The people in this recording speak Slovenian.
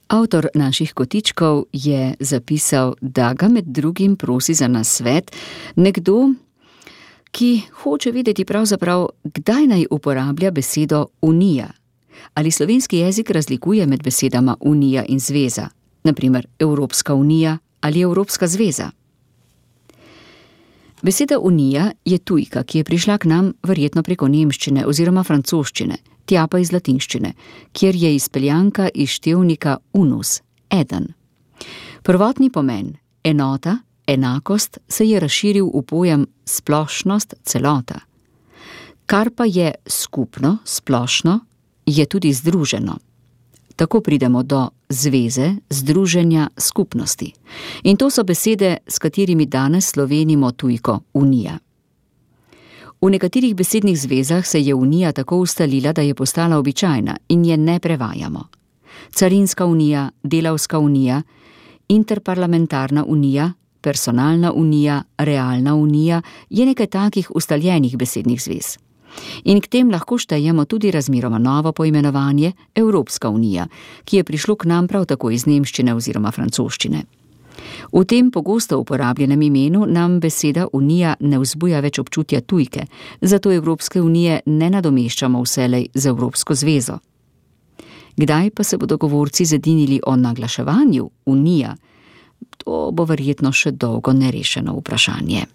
Avtor naših kotičkov je zapisal, da ga med drugim prosi za nasvet nekdo, ki hoče vedeti pravzaprav, kdaj naj uporablja besedo unija. Ali slovenski jezik razlikuje med besedama unija in zveza, na primer Evropska unija ali Evropska zveza. Beseda unija je tujka, ki je prišla k nam verjetno preko nemščine oziroma francoščine, tja pa iz latinščine, kjer je izpeljanka iz števnika unus, eden. Prvotni pomen, enota, enakost, se je razširil v pojem splošnost, celota. Kar pa je skupno, splošno, je tudi združeno. Tako pridemo do zveze, združenja, skupnosti. In to so besede, s katerimi danes slovenimo tujko unija. V nekaterih besednih zvezah se je unija tako ustalila, da je postala običajna in je ne prevajamo. Carinska unija, delavska unija, interparlamentarna unija, personalna unija, realna unija je nekaj takih ustaljenih besednih zvez. In k tem lahko štejemo tudi razmeroma novo poimenovanje Evropska unija, ki je prišlo k nam prav tako iz nemščine oziroma francoščine. V tem pogosto uporabljenem imenu nam beseda unija ne vzbuja več občutja tujke, zato Evropske unije ne nadomeščamo vselej z Evropsko zvezo. Kdaj pa se bodo govorci zedinili o naglaševanju unija? To bo verjetno še dolgo nerešeno vprašanje.